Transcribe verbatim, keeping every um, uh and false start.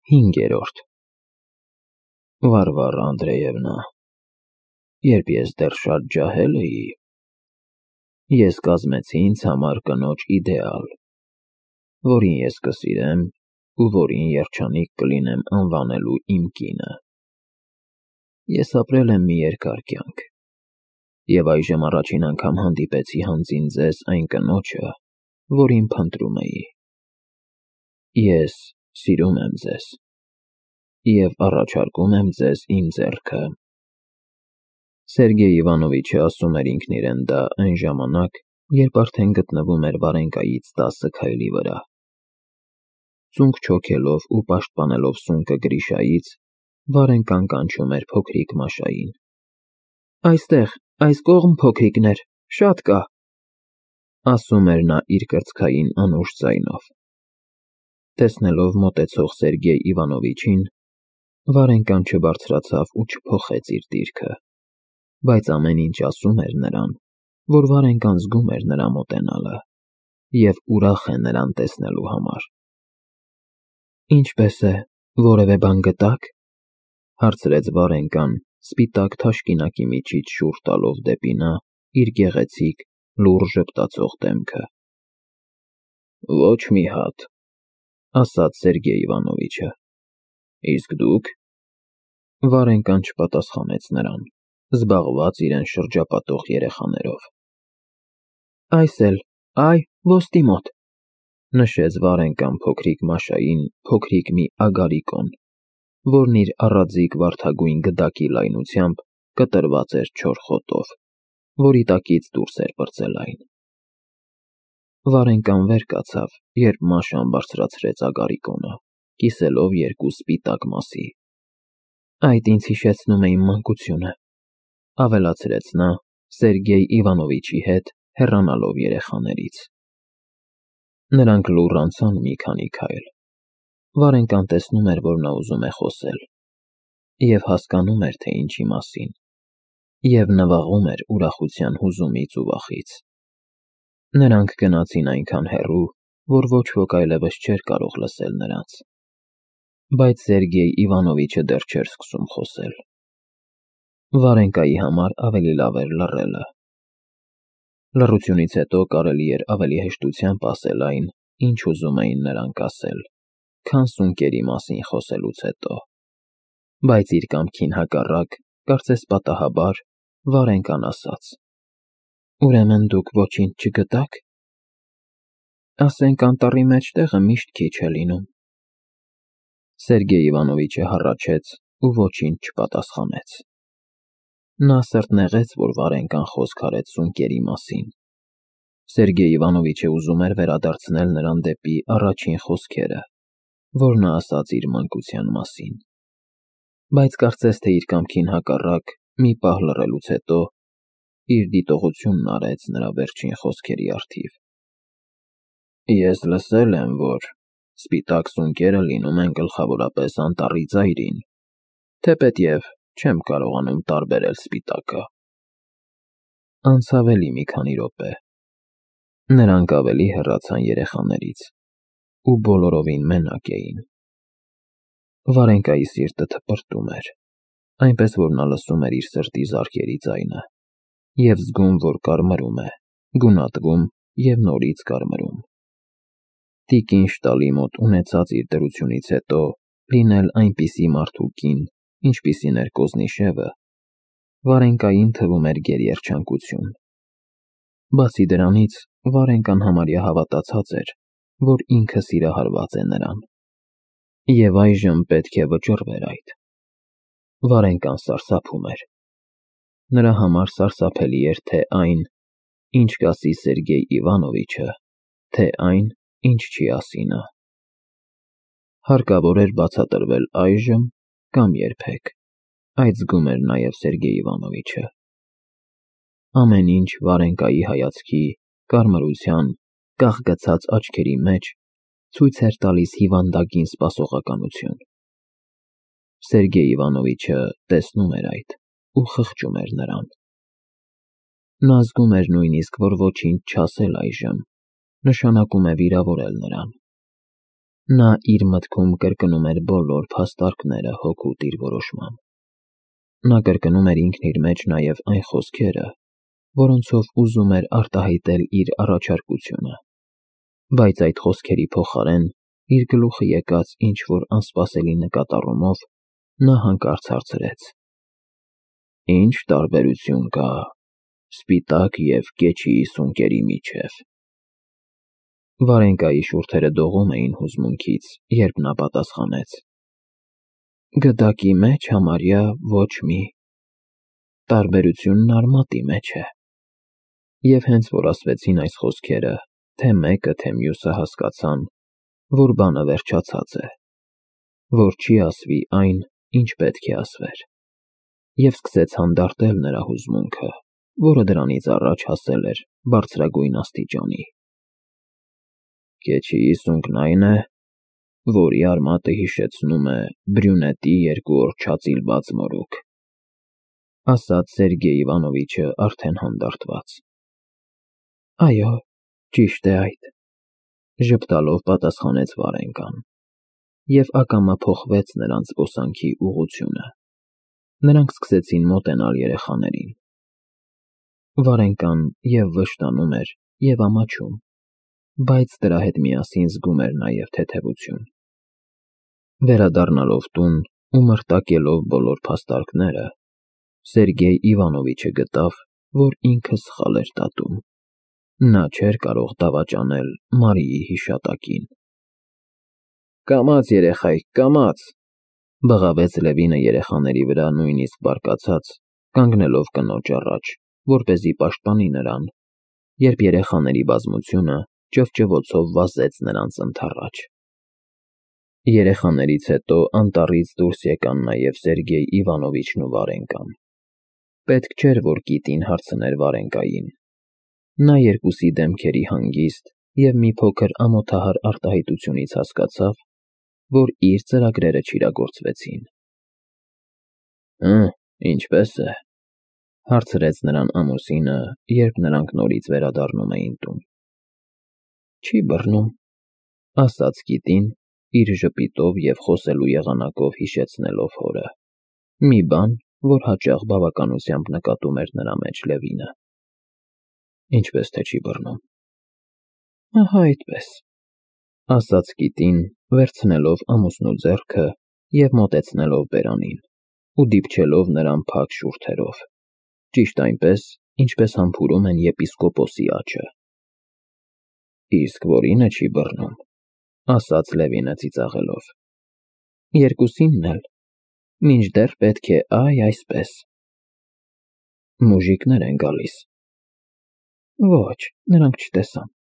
Հինգերորդ Վարվարա Անդրեևնա, երբ ես դեռ շատ ջահել էի, ես կազմեցի ինձ համար կնոջ իդեալ, որին ես կսիրեմ ու որին երջանիկ կլինեմ անվանելու իմ կինը։ Ես ապրել եմ մի երկար կյանք, և այժմ առաջին անգամ հանդիպեցի հանձին ձեզ այն կնոջը, որին փնտրում էի։ Ես սիրում եմ ձեզ և առաջարկում եմ ձեզ իմ ձեռքը։ Սերգեյ Իվանովիչը ասում էր ինքն իրեն դա այն ժամանակ, երբ արդեն գտնվում էր Վարենկայից տասը քայլի վրա։ Ծունկ չոքելով ու պաշտպանելով սունկը Գրիշայից, Վարենկան կանչում էր փոքրիկ Մաշային։ «Այստեղ, այս կողմ, փոքրիկներ, շատ կա», ասում էր նա իր կրծքային անուշ ձայնով։ Տեսնելով մոտեցող Սերգեյ Իվանովիչին, Վարենկան չբարձրացավ ու չփոխեց իր դիրքը, բայց ամեն ինչ ասում էր նրան, որ Վարենկան զգում էր նրա մոտենալը և ուրախ է նրան տեսնելու համար։ «Ինչպե՞ս է, որևէ բան գտա՞ք», հարցրեց Վարենկան, սպիտակ թաշկինակի միջից շուռ տալով դեպի նա իր գեղեցիկ, լուռ ժպտացող դեմքը։ «Ոչ մի հատ», ասաց Սերգեյ Իվանովիչը։ «Իսկ դուք»։ Վարենկան չպատասխանեց նրան, զբաղված իրեն շրջապատող երեխաներով։ «Այս էլ, այ, ոսկի մոտ», նշեց Վարենկան փոքրիկ Մաշային փոքրիկ մի ագարիկոն, որն իր առաձիգ վարդագույն գդակի լայնությամբ կտրված էր չոր խոտով, որի տակից դուրս էր պրծել այն։ Վարենկան վեր կացավ, երբ Մաշան բարձրացրեց ագարիկոնը, կիսելով երկու սպիտակ մասի։ «Այդ ինձ հիշեցնում է իմ մանկությունը», ավելացրեց նա Սերգեյ Իվանովիչի հետ հեռանալով երեխաներից։ Նրանք լուռ անցան մի քանի քայլ։ Վարենկան տեսնում էր, որ նա ուզում է խոսել, և հասկանում էր, թե ինչի մասին, և նվաղում էր ուրախության հուզումից ու վախից։ Նրանք գնացին այնքան հեռու, որ ոչ ոք այլևս չէր կարող լսել նրանց։ Բայց Սերգեյ Իվանովիչը դեռ չէր սկսում խոսել։ Վարենկայի համար ավելի լավ էր լռելը։ Լռությունից հետո կարելի էր ավելի հեշտությամբ ասել այն, ինչ ուզում էին նրանք ասել, քան սունկերի մասին խոսելուց հետո։ Բայց իր կամքին հակառակ, կարծես պատահաբար, Վարենկան ասաց. «Ուրեմն դուք ոչինչ չգտա՞ք։ Ասենք անտառի մեջ տեղը միշտ քիչ է լինում»։ Սերգեյ Իվանովիչը հառաչեց ու ոչինչ չպատասխանեց։ Նա սրտնեղեց, որ Վարենկան խոսք արեց սունկերի մասին։ Սերգեյ Իվանովիչը ուզում էր վերադարձնել նրան դեպի առաջին խոսքերը, որ նա ասաց իր մանկության մասին։ Բայց կարծես թե իր կամքին հակառակ, մի պահ լռելուց հետո, իր դիտողությունն արեց նրա վերջին խոսքերի առթիվ։ «Ես լսել եմ, որ սպիտակ սունկերը լինում են գլխավորապես անտառի ծայրին, թեպետև չեմ կարողանում տարբերել սպիտակը»։ Անցավ էլի մի քանի րոպե։ Նրանք ավելի հեռացան երեխաներից ու բոլորովին մենակ էին։ Վարենկայի սիրտը թպրտում էր, այնպես որ նա լսում էր իր սրտի զարկերի ձայնը և զգում, որ կարմրում է, գունատվում և նորից կարմրում։ Տիկին Շտալի մոտ ունեցած իր դրությունից հետո լինել այնպիսի մարդու կին, ինչպիսին էր Կոզնիշևը, Վարենկային թվում էր գերերջանկություն։ Բացի դրանից, Վարենկան համարյա հավատացած էր, որ ինքը սիրահարված է նրան, և այժմ պետք է վճռվեր այդ։ Վարենկան սարսափում էր։ Նրա համար սարսափելի էր թե այն, ինչ կասի Սերգեյ Իվանովիչը, թե այն, ինչ չի ասի նա։ Հարկավոր էր բացատրվել այժմ կամ երբեք, այդ զգում էր նաև Սերգեյ Իվանովիչը։ Ամեն ինչ Վարենկայի հայացքի, կարմրության, կախգցած աչքերի մեջ ցույց էր տալիս հիվանդագին սպասողականություն։ Սերգեյ Իվանովիչը տեսնում էր այդ ու խղճում էր նրան։ Նա զգում էր նույնիսկ, որ ոչինչ չասել այժմ նշանակում է վիրավորել նրան։ Նա իր մտքում կրկնում էր բոլոր փաստարկները հօգուտ իր որոշման։ Նա կրկնում էր ինքն իր մեջ նաև այն խոսքերը, որոնցով ուզում էր արտահայտել իր առաջարկությունը, բայց այդ խոսքերի փոխարեն իր գլուխը եկած ինչ-որ անսպասելի նկատառումով նա հանկարծ հարցրեց. «Ինչ տարբերություն կա սպիտակ և կեչի սունկերի միջև»։ Վարենկայի շուրթերը դողում էին հուզմունքից, երբ նա պատասխանեց. «Գդակի մեջ համարյա ոչ մի։ Տարբերությունն արմատի մեջ է»։ Եվ հենց որ ասվեցին այս խոսքերը, թե մեկը, թե մյուսը հասկացան, որ բանը վերջացած է, որ չի ասվի այն, ինչ պետք է ասվեր, և սկսեց հանդարտել նրա հուզմունքը, որը դրանից առաջ հասել էր բարձրագույն աստիճանի։ «Կեչիի սունկն այն է, որի արմատը հիշեցնում է բրյունետի երկու օր չածիլված մորուք», ասաց Սերգեյ Իվանովիչը արդեն հանդարտված։ «Այո, ճիշտ է այդ», ժպտալով պատասխանեց Վարենկան, և ակամա փոխվեց նրանց զբոսանքի ուղղությունը։ Նրանք սկսեցին մոտենալ երեխաներին։ Վարենկան և վշտանում էր, և ամաչում, բայց դրա հետ միասին զգում էր նաև թեթևություն։ Վերադառնալով տուն ու մրտակելով բոլոր փաստարկները, Սերգեյ Իվանովիչը գտավ, որ ինքը սխալ էր դատում։ Նա չէր կարող դավաճանել Մարիի հիշատակին։ «Կամաց, երեխայք, կամաց», բղավեց Լևինը երեխաների վրա նույնիսկ բարկացած, կանգնելով կնոջ առաջ, որպեսզի պաշտպանի նրան, երբ երեխաների բազմությունը ճվճվոցով վազեց նրանց ընդառաջ։ Երեխաներից հետո անտառից դուրս եկան նաև Սերգեյ Իվանովիչն ու Վարենկան։ Պետք չէր, որ կիտին հարցներ Վարենկային։ Նա երկուսի դեմքերի հանգիստ և մի փոքր ամոթահար արտահայտությունից հասկացավ, որ իր ծրագրերը չիրագործվեցին։ «Հը՞, ինչպե՞ս է», հարցրեց նրան ամուսինը, երբ նրանք նորից վերադառնում էին տուն։ «Չի բռնում», ասաց կիտին, իր ժպիտով և խոսելու եղանակով հիշեցնելով հորը, մի բան, որ հաճախ բավականությամբ նկատում էր նրա մեջ Լևինը։ «Ինչպես թե չի բռնում»։ «Ահա այդպես», ասաց կիտին, վերցնելով ամուսնու ձեռքը և մոտեցնելով բերանին ու դիպչելով նրան փակ շուրթերով, ճիշտ այնպես, ինչպես համբուրում են եպիսկոպոսի աջը։ «Իսկ որի՞նը չի բռնում», ասաց Լևինը ծիծաղելով։ «Երկուսինն էլ, մինչդեռ պետք է այ այսպես»։ «Մուժիկներ են գալիս»։ «Ոչ, նրանք չտեսան»։